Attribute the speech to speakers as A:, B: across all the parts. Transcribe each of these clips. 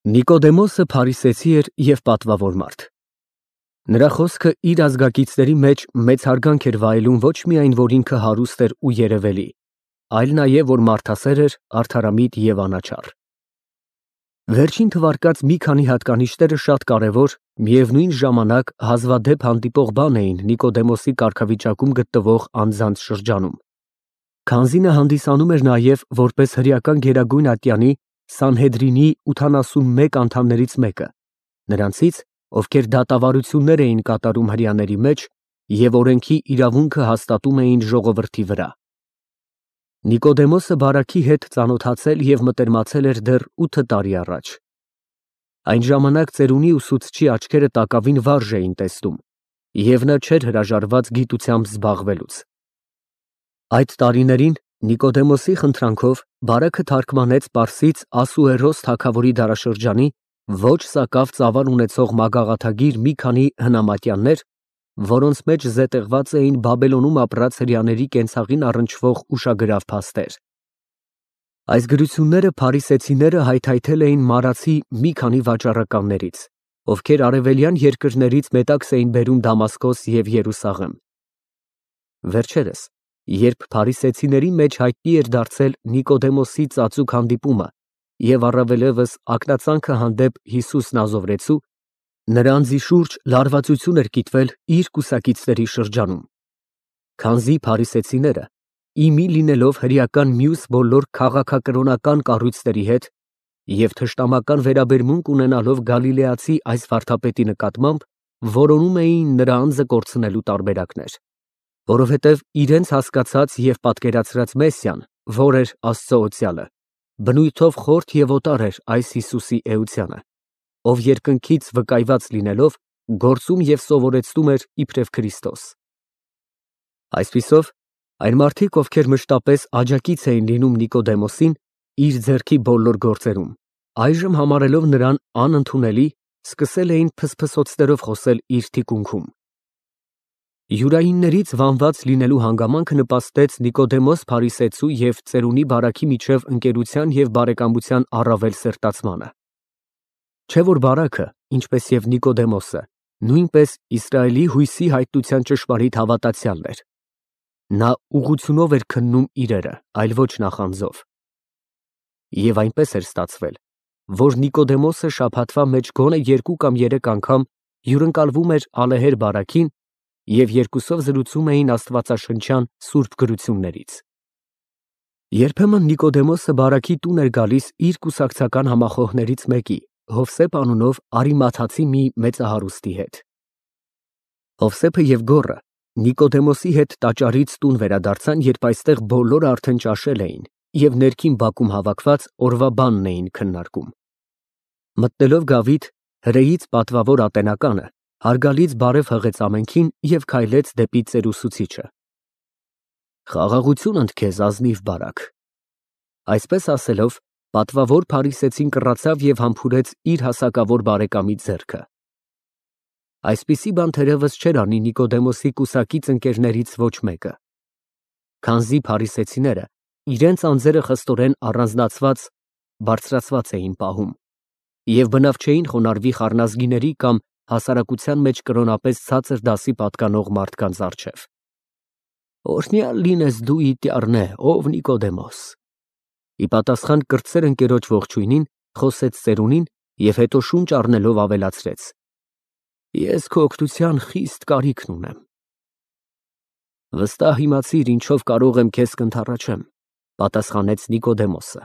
A: Նիկոդեմոսը փարիսեցի էր և պատվավոր մարդ։ Նրա խոսքը իր ազգակիցների մեջ մեծ հարգանք էր վայելում ոչ միայն, որ ինքը հարուստ էր ու երևելի, այլ նաև, որ մարդասեր էր, արդարամիտ և անաչառ։ Վերջին թվարկած մի քանի հատկանիշները շատ կարևոր, միևնույն ժամանակ հազվադեպ հանդիպող բան էին Նիկոդեմոսի կարգավիճակում գտնվող անձանց շրջանում, քանզի նա հանդիսանում էր նաև որպես հրեական գերագույն ատյանի Սանհեդրինի 81 անդամներից մեկը, նրանցից, ովքեր դատավարություններ էին կատարում հրեաների մեջ և օրենքի իրավունքը հաստատում էին ժողովրդի վրա։ Նիկոդեմոսը բարաքի հետ ծանոթացել և մտերմացել էր դեռ 8 տարի առաջ։ Այն ժամանակ ծերունի ուսուցչի աչքերը տակավին վարժ էին տեսնում, և նա չէր հրաժարված գիտությամբ զբաղվելուց։ Այդ տարիներին Նիկոդեմոսի խնդրանքով բարակը թարգմանեց պարսից Ասուերոս թագավորի դարաշրջանի ոչ սակավ ծավալ ունեցող մագաղաթագիր մի քանի հնամատյաններ, որոնց մեջ զետեղված էին Բաբելոնում ապրած հրեաների կենցաղին առնչվող ուշագրավ փաստեր։ Այս գրությունները փարիսեցիները հայթայթել էին մարացի մի քանի վաճառականներից, ովքեր արևելյան երկրներից մետաքս էին բերում Դամասկոս և Երուսաղեմ։ Վերջերս, երբ փարիսեցիների մեջ հայտնի էր դարձել Նիկոդեմոսի ծածուկ հանդիպումը և առավելևս ակնածանքը հանդեպ Հիսուս Նազովրեցու, նրա անձի շուրջ լարվածություն էր կիտվել իր կուսակիցների շրջանում, քանզի փարիսեցիները, ի մի լինելով հրեական մյուս բոլոր քաղաքակրոնական կառույցների հետ և թշնամական վերաբերմունք ունենալով գալիլեացի այս վարդապետի նկատմամբ, որոնում էին նրա անձը կորցնելու տարբերակներ, որովհետև իրենց հասկացած և պատկերացրած Մեսիան, որ էր Աստծո օծյալը, բնույթով խորթ և օտար էր այս Հիսուսի էությանը, ով երկնքից վկայված լինելով, գործում և սովորեցնում էր իբրև Քրիստոս։ Այսպիսով, այն մարդիկ, ովքեր մշտապես աջակից էին լինում Նիկոդեմոսին իր ձեռքի բոլոր գործերում, այժմ համարելով նրան անընդունելի, սկսել էին փսփսոցներով խոսել իր թիկունքում։ Յուրայիններից վանված լինելու հանգամանքը նպաստեց Նիկոդեմոս փարիսեցու և ծերունի բարաքի միջև ընկերության և բարեկամության առավել սերտացմանը։ Չէ՞ որ բարաքը, ինչպես և Նիկոդեմոսը, նույնպես Իսրայելի հույսի հայտնության ճշմարիտ հավատացյալն էր։ Նա ուղղությունով էր քննում իրերը, այլ ոչ նախանձով։ Եվ այնպես էր ստացվել, որ Նիկոդեմոսը շաբաթվա մեջ գոնե 2 կամ 3 անգամ հյուրընկալվում էր ալեհեր բարաքին և երկուսով զրուցում էին աստվածաշնչյան սուրբ գրություններից։ Երբեմն Նիկոդեմոսը բարաքի տուն էր գալիս իր կուսակցական համախոհներից մեկի, Հովսեփ անունով Արիմաթացի մի մեծահարուստի հետ։ Հովսեփը և Գոռը Նիկոդեմոսի հետ տաճարից տուն վերադարձան, երբ այստեղ բոլորը արդեն ճաշել էին և ներքին բակում հավաքված օրվա բանն էին քննարկում։ Մտնելով գավիթ, հրեից պատվավոր ատենականը հարգալից բարև հղեց ամենքին և քայլեց դեպի ծերուսուցիչը։ Խաղաղություն ընդ քեզ, ազնիվ բարակ։ Այսպես ասելով, պատվավոր փարիսեցին կռացավ և համբուրեց իր հասակավոր բարեկամի ձեռքը։ Այսպիսի բան թերևս չէր անի Նիկոդեմոսի կուսակից ընկերներից ոչ մեկը, քանզի փարիսեցիները իրենց անձերը խստորեն առանձնացված, բարձրացված էին պահում և բնավ չէին խոնարհվի խառնազգիների կամ հասարակության մեջ կրոնապես ցածր դասի պատկանող մարդկանց առջև։ Օրհնյալ լինես դու իտյառնե, ով Նիկոդեմոս։ Ի պատասխան կրտսեր ընկերոջ ողջույնին խոսեց ծերունին և հետո շունչ առնելով ավելացրեց. Ես քո օգնության խիստ կարիքն ունեմ։ Վստահ իմացիր, ինչով կարող եմ քեզ կընդառաջեմ, պատասխանեց Նիկոդեմոսը։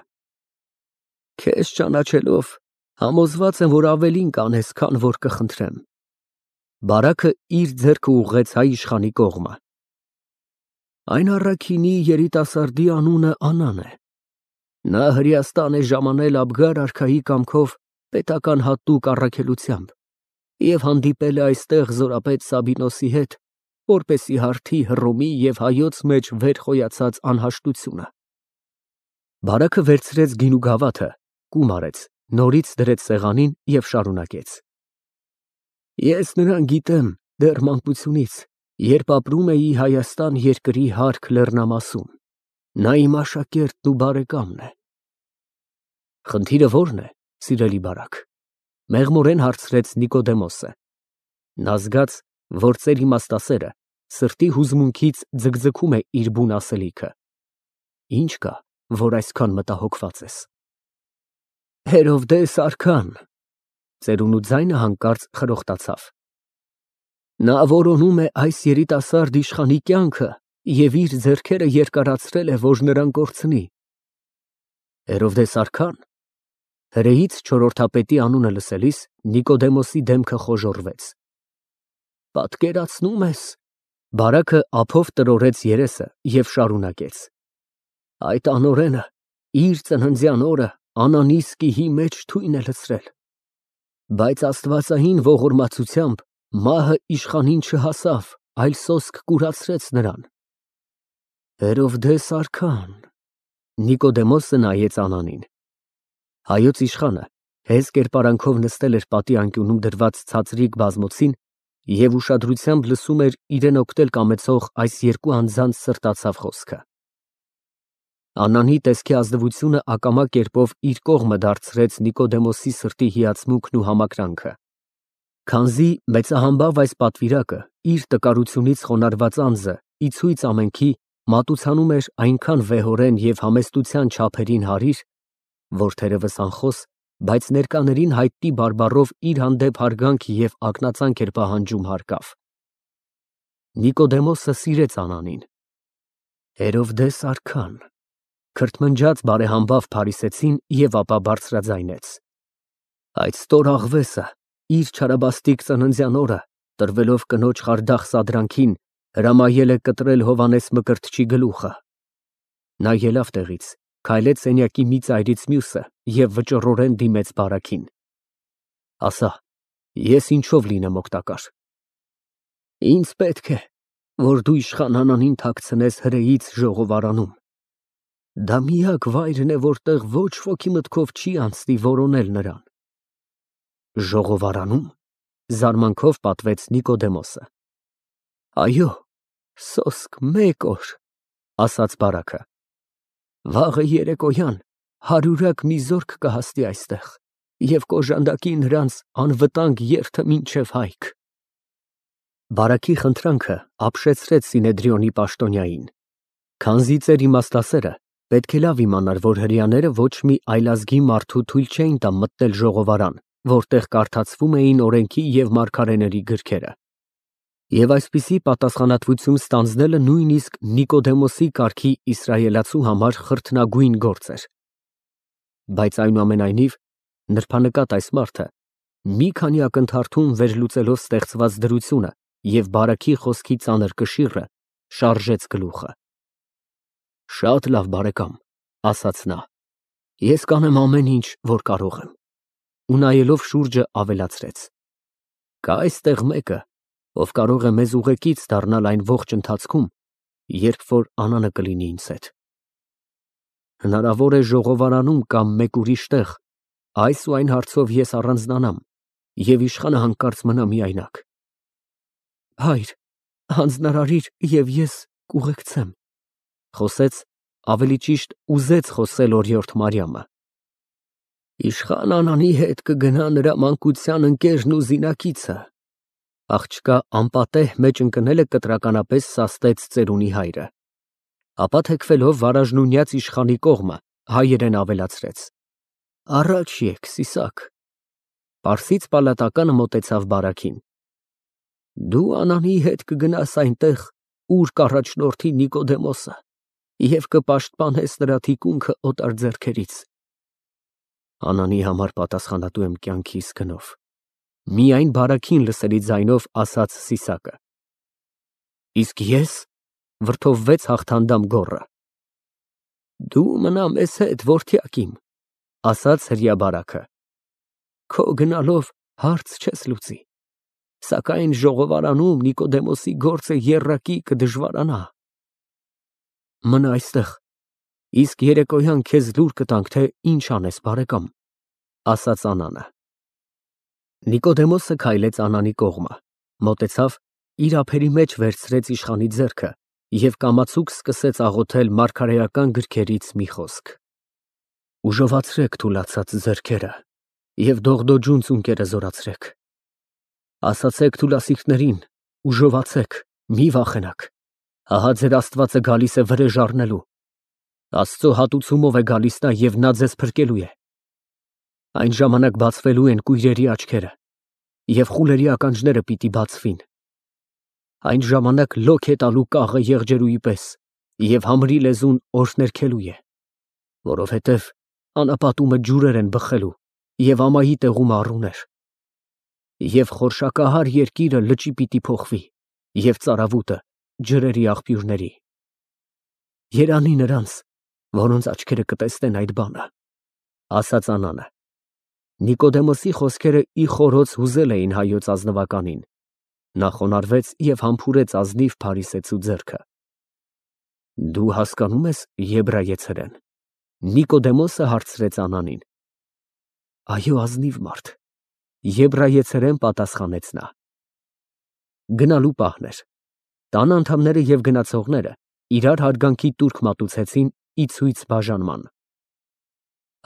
A: Քեզ ճանաչելով, համոզված եմ, որ ավելին կանես, քան որ կխնդրեմ։ Բարակը իր ձեռքը ուղղեց հայ իշխանի կողմը։ Այն առաքինի երիտասարդի անունը Անան է։ Նա Հրեաստան է ժամանել Աբգար արքայի կամքով պետական հատուկ առաքելությամբ և հանդիպել է այստեղ զորապետ Սաբինոսի հետ, որպեսզի հարթի Հռոմի և հայոց մեջ վեր խոյացած անհաշտությունը։ Բարակը վերցրեց գինու գավաթը, կում արեց, նորից դրեց սեղանին և շարունակեց. Ես նրան գիտեմ դեռ մանկությունից, երբ ապրում էի Հայաստան երկրի հարկ լեռնամասում, նա իմ աշակերտն ու բարեկամն է։ Խնդիրը ո՞րն է, սիրելի բարակ, մեղմորեն հարցրեց Նիկոդեմոսը։ Նա զգաց, որ ծեր իմաստասերը սրտի հուզմունքից ձգձգում է իր բուն ասելիքը։ Ինչ կա, որ այսքան մտահոգված ես։ Հերովդես արքան, ծերունու ձայնը հանկարծ խրոխտացավ։ Նա որոնում է այս երիտասարդ իշխանի կյանքը և իր ձեռքերը երկարացրել է, որ նրան կորցնի։ Հերովդես արքան։ Հրեից չորրորդապետի անունը լսելիս Նիկոդեմոսի դեմքը խոժոռվեց։ Պատկերացնում ես։ Բարակը ափով տրորեց երեսը և շարունակեց. Այդ անօրենը իր ծննդյան օրը անանիսկիի մեջ թույն է լցրել։ Բայց աստվածային ողորմածությամբ մահը իշխանին չհասավ, այլ սոսկ կուրացրեց նրան։ Հերովդես արքան։ Նիկոդեմոսը նայեց Անանին։ Հայոց իշխանը հեզ կերպարանքով նստել էր պատի անկյունում դրված ցածրիկ բազմոցին և ուշադրությամբ լսում էր իրեն օգնել կամեցող այս երկու անձանց սրտացավ խոսքը։ Անանի տեսքի ազնվությունը ակամա կերպով իր կողմը դարձրեց Նիկոդեմոսի սրտի հիացմունքն ու համակրանքը։ Քանզի մեծահամբավ այս պատվիրակը իր տկարությունից խոնարհված անձը ի ցույց ամենքի մատուցանում էր այնքան վեհորեն և համեստության չափերին հարիր, որ թերևս անխոս, բայց ներկաներին հայտնի բարբառով իր հանդեպ հարգանք և ակնածանք էր պահանջում հարկավ։ Նիկոդեմոսը սիրեց Անանին։ Հերովդես արքան, քրթմնջաց բարեհամբավ փարիսեցին և ապա բարձրաձայնեց. Այդ ստոր աղվեսը իր չարաբաստիկ ծննդյան օրը, տրվելով կնոջ խարդախ սադրանքին, հրամայել է կտրել Հովհաննես Մկրտչի գլուխը։ Նա ելավ տեղից, քայլեց սենյակի մի ծայրից մյուսը և վճռորեն դիմեց բարակին. Ասա, ես ինչով լինեմ օգտակար։ Ինձ պետք է, որ դու իշխան Անանին թաքցնես հրեից ժողովարանում։ Դա միակ վայրն է, որտեղ ոչ ոքի մտքով չի անցնի որոնել նրան։ Ժողովարանում, զարմանքով պատվեց Նիկոդեմոսը։ Այո, սոսկ մեկ օր, ասաց բարակը։ Վաղը երեկոյան հարյուրակ մի զորք կհասնի այստեղ և կօժանդակի նրանց անվտանգ երթը մինչև հայք։ Բարակի խնդրանքը ապշեցրեց Սինեդրիոնի պաշտոնյային։ Քանզի ծեր իմաստասերը պետք է լավ իմանար, որ հրեաները ոչ մի այլազգի մարդու թույլ չէին տա մտնել ժողովարան, որտեղ կարդացվում էին օրենքի և մարգարեների գրքերը։ Եվ այսպիսի պատասխանատվություն ստանձնելը նույնիսկ Նիկոդեմոսի կարգի իսրայելացու համար խրթնագույն գործ էր։ Բայց այնուամենայնիվ նրբանկատ այս մարդը մի քանի ակնթարթում վերլուծելով ստեղծված դրությունը և բարակի խոսքի ծանր կշիռը, շարժեց գլուխը։ Շատ լավ, բարեկամ, ասաց նա, ես կանեմ ամեն ինչ, որ կարող եմ։ Ու նայելով շուրջը ավելացրեց. Կա այստեղ մեկը, ով կարող է մեզ ուղեկից դառնալ այն ողջ ընթացքում, երբ որ Անանը կլինի ինձ հետ։ Հնարավոր է ժողովարանում կամ մեկ ուրիշ տեղ այս ու այն հարցով ես առանձնանամ և իշխանը հանկարծ մնա միայնակ։ Հայր, հանձնարարիր և ես կուղեկցեմ, խոսեց, ավելի ճիշտ ուզեց խոսել օրիորդ Մարիամը։ Իշխան Անանի հետ կգնա նրա մանկության ընկերն ու զինակիցը։ Աղջկա անպատեհ մեջ ընկնելը կտրականապես սաստեց ծերունի հայրը։ Ապա թեքվելով վարաժնունյաց իշխանի կողմը, հայերեն ավելացրեց. Առաջ եկ, Սիսակ։ Պարսից պալատականը մոտեցավ բարակին։ Դու Անանի հետ կգնաս այնտեղ, ուր կառաջնորդի Նիկոդեմոսը, և կպաշտպանես նրա թիկունքը օտար ձեռքերից։ Անանի համար պատասխանատու եմ կյանքիս գնով, միայն բարակին լսելի ձայնով ասաց Սիսակը։ Իսկ ես, վրդովվեց հաղթանդամ գոռը։ Դու մնա մեզ հետ, որդյակ իմ, ասաց հրեաբարակը։ Քո գնալով հարց չես լուծի, սակայն ժողովարանում Նիկոդեմոսի գործը եռակի կդժվարանա։ Մնա այստեղ, իսկ երեկոյան քեզ լուր կտանք, թե ինչ անես, բարեկամ, ասաց Անանը։ Նիկոդեմոսը քայլեց Անանի կողմը, մոտեցավ, իր ափերի մեջ վերցրեց իշխանի ձեռքը և կամացուկ սկսեց աղոթել մարգարեական գրքերից մի խոսք. Ուժովացրեք թուլացած ձեռքերը, և դողդոջուն ծունկերը զորացրեք։ Ասացեք թուլասիրտներին, ուժովացեք, մի վախենաք, ահա ձեր Աստվածը գալիս է վրեժ առնելու, Աստծո հատուցումով է գալիս նա և նա ձեզ փրկելու է։ Այն ժամանակ բացվելու են կույրերի աչքերը, և խուլերի ականջները պիտի բացվին։ Այն ժամանակ լոք է տալու կաղը եղջերուի պես, և համրի լեզուն օրհներգելու է, որովհետև անապատումը ջուրեր են բխելու, և ամայի տեղում առուներ։ Եվ խորշակահար երկիրը լճի պիտի փոխվի, և ծարավուտը ջրերի աղբյուրների։ Երանի նրանց, որոնց աչքերը կտեսնեն այդ բանը, ասաց Անանը։ Նիկոդեմոսի խոսքերը ի խորոց հուզել էին հայոց ազնվականին։ Նա խոնարհվեց և համբուրեց ազնիվ փարիսեցու ձեռքը։ Դու հասկանում ես եբրայեցերեն։ Նիկոդեմոսը հարցրեց Անանին։ Այո, ազնիվ մարդ, եբրայեցերեն պատասխանեց նա։ Գնալու պահն էր։ Տան անդամները և գնացողները իրար հարգանքի տուրք մատուցեցին ի ցույց բաժանման։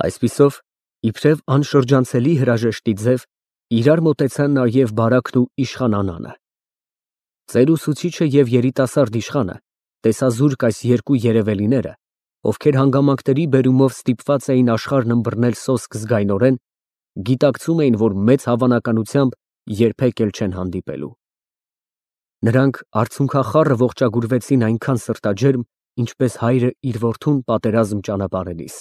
A: Այսպիսով, իբրև անշրջանցելի հրաժեշտի ձև, իրար մոտեցան նաև Բարաքն ու իշխան Անանը։ Ծեր ուսուցիչը և երիտասարդ իշխանը, տեսազուրկ այս երկու երևելիները, ովքեր հանգամանքների բերումով ստիպված էին աշխարհն ըմբռնել սոսկ զգայնորեն, գիտակցում էին, որ մեծ հավանականությամբ երբեք էլ չեն հանդիպելու։ Նրանք արցունքախառը ողջագուրվեցին այնքան սրտաջերմ, ինչպես հայրը իր որդուն պատերազմ ճանապարհելիս։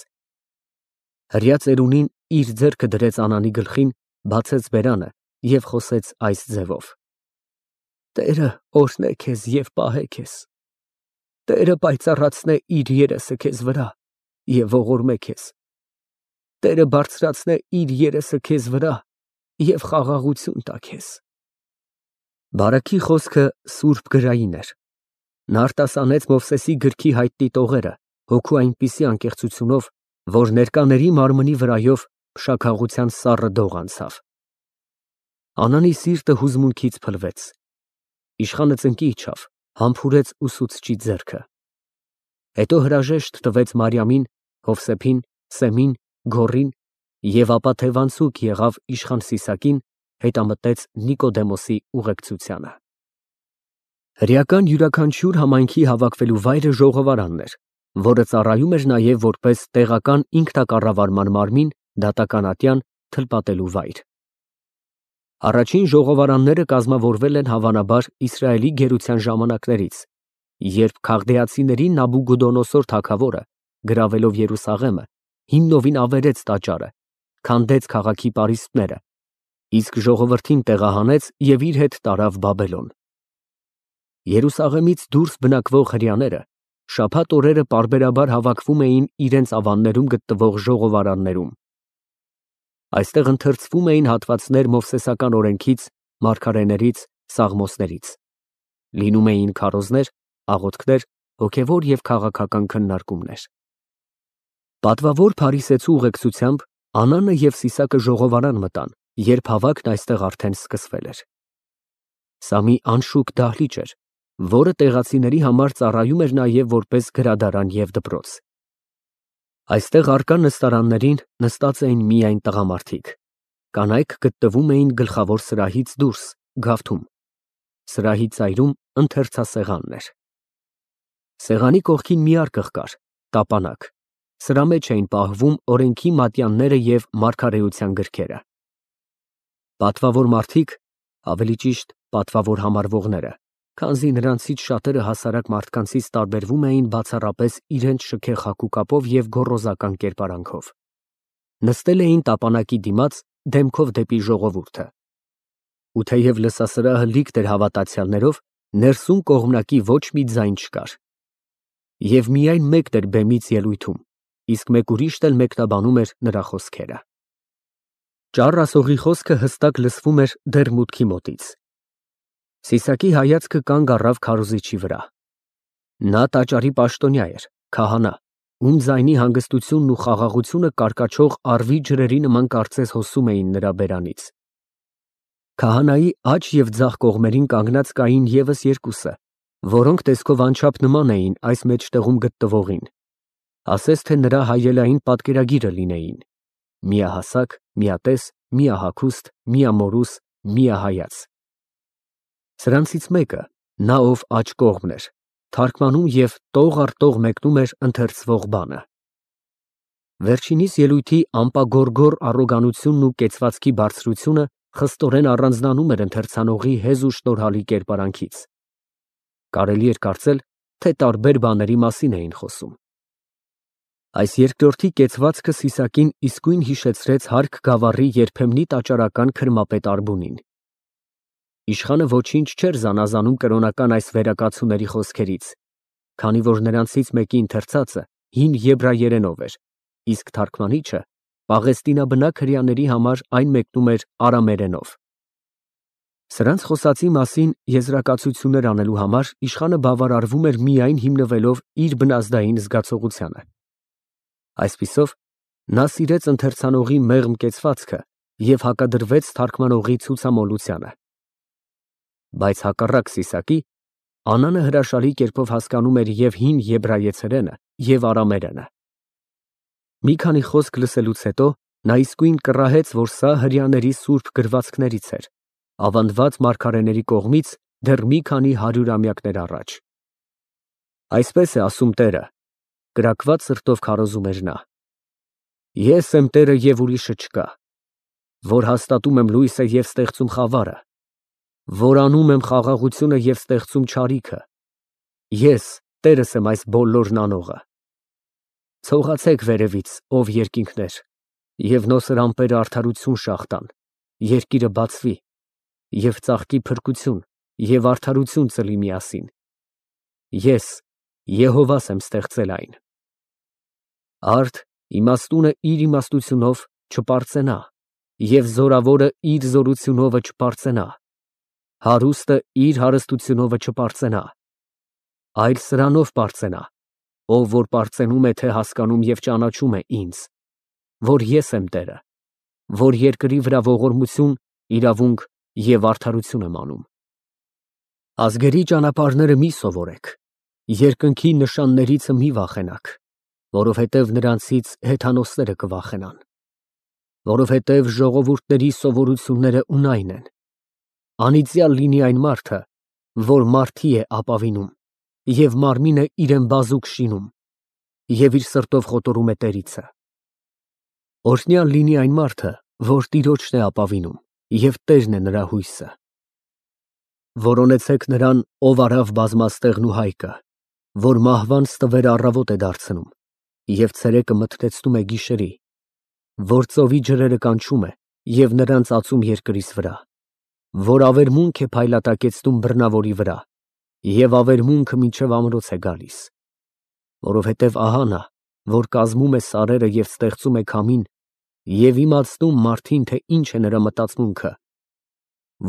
A: Հրյա ծերունին իր ձեռքը դրեց Անանի գլխին, բացեց բերանը և խոսեց այս ձևով. Տերը օրհնե քեզ և պահե քեզ։ Տերը պայծառացնե իր երեսը քեզ վրա և ողորմե քեզ։ Տերը բարձրացնե իր երեսը քեզ վրա և խաղաղություն տա քեզ։ Բարաքի խոսքը սուրբ գրային էր։ Նա արտասանեց Մովսեսի գրքի հայտնի տողերը հոգու այնպիսի անկեղծությունով, որ ներկաների մարմնի վրայով փշաքաղության սառը դող անցավ։ Անանի սիրտը հուզմունքից փլվեց։ Իշխանը ծնկի իջավ, համբուրեց ուսուցչի ձեռքը։ Հետո հրաժեշտ տվեց Մարիամին, Հովսեփին, Սեմին, Գոռին և ապա թևանցուկ եղավ իշխան Սիսակին, հետամտեց Նիկոդեմոսի ուղեկցությանը։ Հրեական յուրաքանչյուր համայնքի հավաքվելու վայրը ժողովարանն էր, որը ծառայում էր նաև որպես տեղական ինքնակառավարման մարմին, դատական ատյան, թլպատելու վայր։ Առաջին ժողովարանները կազմավորվել են հավանաբար Իսրայելի գերության ժամանակներից, երբ Քաղդեացիների Նաբուգոդոնոսոր թագավորը, գրավելով Երուսաղեմը, հիմնովին ավերեց տաճարը, քանդեց քաղաքի պարիսպները, իսկ ժողովրդին տեղահանեց և իր հետ տարավ Բաբելոն։ Երուսաղեմից դուրս բնակվող հրեաները շաբաթ օրերը պարբերաբար հավաքվում էին իրենց ավաններում գտնվող ժողովարաններում։ Այստեղ ընթերցվում էին հատվածներ Մովսեսական օրենքից, մարգարեներից, Սաղմոսներից։ Լինում էին քարոզներ, աղոթքներ, հոգևոր և քաղաքական քննարկումներ։ Պատվավոր փարիսեցու ուղեկցությամբ Անանը և Սիսակը ժողովարան մտան, երբ հավաքն այստեղ արդեն սկսվել էր։ Սա մի անշուք դահլիճ էր, որը տեղացիների համար ծառայում էր նաև որպես գրադարան և դպրոց։ Այստեղ առկա նստարաններին նստած էին միայն տղամարդիկ։ Կանայք գտնվում էին գլխավոր սրահից դուրս, գավթում։ Սրահի ծայրում ընթերցասեղանն էր։ Սեղանի կողքին մի արկղ կար, տապանակ։ Սրա մեջ էին պահվում օրենքի մատյանները և մարգարեության գրքերը։ Պատվավոր մարդիկ, ավելի ճիշտ պատվավոր համարվողները, քանզի նրանցից շատերը հասարակ մարդկանցից տարբերվում էին բացառապես իրենց շքեղ հագուկապով և գոռոզական կերպարանքով, նստել էին տապանակի դիմաց, դեմքով դեպի ժողովուրդը։ Ու թեև լսասրահը լիքտ էր հավատացյալներով, ներսում կողմնակի ոչ մի ձայն չկար։ Եվ միայն մեկն էր բեմից ելույթում, իսկ մեկ ուրիշն էլ մեկնաբանում էր նրա խոսքերը։ Ճառ ասողի խոսքը հստակ լսվում էր դեռ մուտքի մոտից։ Սիսակի հայացքը կանգ առավ քարոզիչի վրա։ Նա տաճարի պաշտոնյա էր, քահանա, ում ձայնի հանգստությունն ու խաղաղությունը կարկաչող առվի ջրերի նման կարծես հոսում էին նրա բերանից։ Քահանայի աջ և ձախ կողմերին կանգնած կային ևս երկուսը, որոնք տեսքով անչափ նման էին այս մեջտեղում գտնվողին, ասես թե նրա հայելային պատկերագիրը լինեին՝ միահասակ, միատես, միահագուստ, միամորուս, միահայաց։ Սրանցից մեկը, նա ով աջ կողմն էր, թարգմանում և տող առ տող մեկնում էր ընթերցվող բանը։ Վերջինիս ելույթի ամպագորգոր առոգանությունն ու կեցվածքի բարձրությունը խստորեն առանձնանում էր ընթերցանողի հեզ ու շնորհալի կերպարանքից։ Կարելի էր կարծել, թե տարբեր բաների մասին էին խոսում։ Այս երկրորդի կեցվածքը Սիսակին իսկույն հիշեցրեց Հարկ գավառի երբեմնի տաճարական քրմապետ Արբունին։ Իշխանը ոչինչ չէր զանազանում կրոնական այս վերակացուների խոսքերից, քանի որ նրանցից մեկի ընթերցածը հին եբրայերենով էր, իսկ թարգմանիչը պաղեստինաբնակ հրեաների համար այն մեկնում էր արամերենով։ Սրանց խոսածի մասին եզրակացություններ անելու համար իշխանը բավարարվում էր միայն հիմնվելով իր բնազդային զգացողությանը։ Այսպիսով, նա սիրեց ընթերցանողի մեղմ կեցվածքը և հակադրվեց թարգմանողի ցուցամոլությանը։ Բայց հակառակ Սիսակի, Անանը հրաշալի կերպով հասկանում էր և հին եբրայեցերենը, և արամերենը։ Մի քանի խոսք լսելուց հետո նա իսկույն կռահեց, որ սա հրեաների սուրբ գրվածքներից էր, ավանդված մարգարեների կողմից դեռ մի քանի հարյուրամյակներ առաջ։ Այսպես է ասում Տերը, կրակված սրտով քարոզում էր նա. Ես եմ Տերը և ուրիշը չկա, որ հաստատում եմ լույսը և ստեղծում խավարը, որ անում եմ խաղաղությունը և ստեղծում չարիքը, ես Տերս եմ այս բոլորն անողը։ Ցողացեք վերևից, ով երկինքներ, և նոսր ամպերը արդարություն շաղ տան, երկիրը բացվի, և ծաղկի փրկություն, և արդարություն ծլի միասին։ Ես Եհովաս եմ ստեղծել այն։ Արդ իմաստունը իր իմաստությունով չպարծենա, և զորավորը իր զորությունովը չպարծենա, հարուստը իր հարստությունովը չպարծենա, այլ սրանով պարծենա, ով որ պարծենում է, թե հասկանում և ճանաչում է ինձ, որ ես եմ Տերը, որ երկրի վրա ողորմություն, իրավունք և արդարություն եմ անում։ Ազգերի ճանապարհները մի սովորեք, երկնքի նշաններիցը մի վախենաք, որովհետև նրանցից հեթանոսները կվախենան, որովհետև ժողովուրդների սովորությունները ունայն են։ Անիծյալ լինի այն մարդը, որ մարդի է ապավինում, և մարմինը իրեն բազուկ շինում, և իր սրտով խոտորում է տերիցը։ Օրհնյալ լինի այն մարդը, որ Տիրոջն է ապավինում, և Տերն է նրա հույսը։ Որոնեցեք նրան, ով արավ բազմաստեղն ու հայկը, որ մահվան ստվերը առավոտ է դարձնում, և ցերեկը մթնեցնում է գիշերի, որ ծովի ջրերը կանչում է և նրան ծածում երկրից վրա, որ ավերմունք է փայլատակեցնում բռնավորի վրա, և ավերմունքը մինչև ամրոց է գալիս, որովհետև ահա նա, որ կազմում է սարերը և ստեղծում է քամին, և իմացնում մարդին, թե ինչ է նրա մտածմունքը,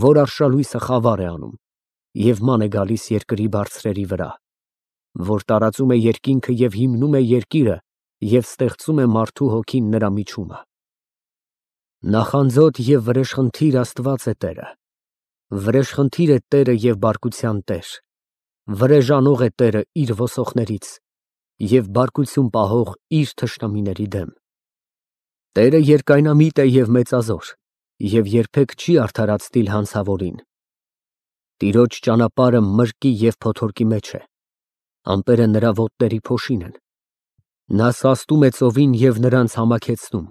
A: որ արշալույսը խավար է անում, և ման է գալիս երկրի բարձրերի վրա, որ տարածում է երկինքը և հիմնում է երկիրը և ստեղծում է մարդու հոգին նրա միջումը։ Նախանձոտ և վրեժխնդիր Աստված է Տերը, վրեժխնդիր է Տերը և բարկության Տեր, վրեժանող է Տերը իր ոսողներից և բարկություն պահող իր թշնամիների դեմ։ Տերը երկայնամիտ է և մեծազոր, և երբեք չի արդարացնիլ հանցավորին։ Տիրոջ ճանապարհը մրկի և փոթորկի մեջ է, ամպերը նրա ոտների փոշին են։ Նա սաստում է ծովին և նրանց համաքեցնում,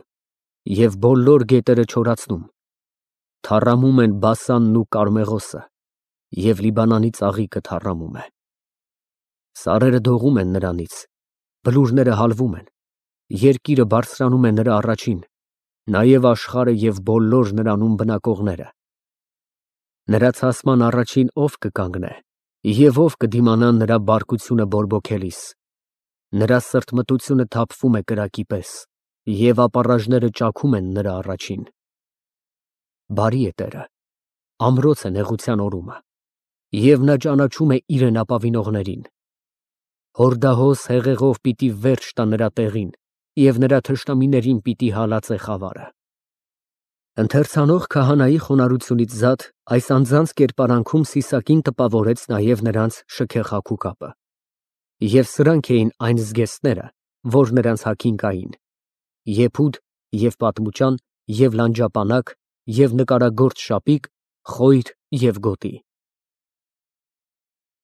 A: և բոլոր գետերը չորացնում, թառամում են Բասանն ու Կարմեղոսը, և Լիբանանի ծաղիկը թառամում է։ Սարերը դողում են նրանից, բլուրները հալվում են, երկիրը բարձրանում է նրա առաջին, նաև աշխարհը և բոլոր նրանում բնակողները։ Նրա ցասման առաջին ով կկանգնե, և ով կդիմանա նրա բարկությունը բորբոքելիս։ Նրա սրտմտությունը թափվում է կրակի պես, և ապառաժները ճաքում են նրա առաջին։ Բարի է Տերը, ամրոց է նեղության օրումը, և նա ճանաչում է իրեն ապավինողներին։ Հորդահոս հեղեղով պիտի վերջ տա նրա տեղին, և նրա թշնամիներին պիտի հալածե խավարը։ Ընթերցանող քահանայի խոնարհությունից զատ այս անձանց կերպարանքում Սիսակին տպավորեց նաև նրանց շքեղ հագուկապը։ Եվ սրանք էին այն զգեստները, որ նրանց հագին կային. եփուդ և պատմուճան և լանջապանակ և նկարագործ շապիկ, խոյր և գոտի։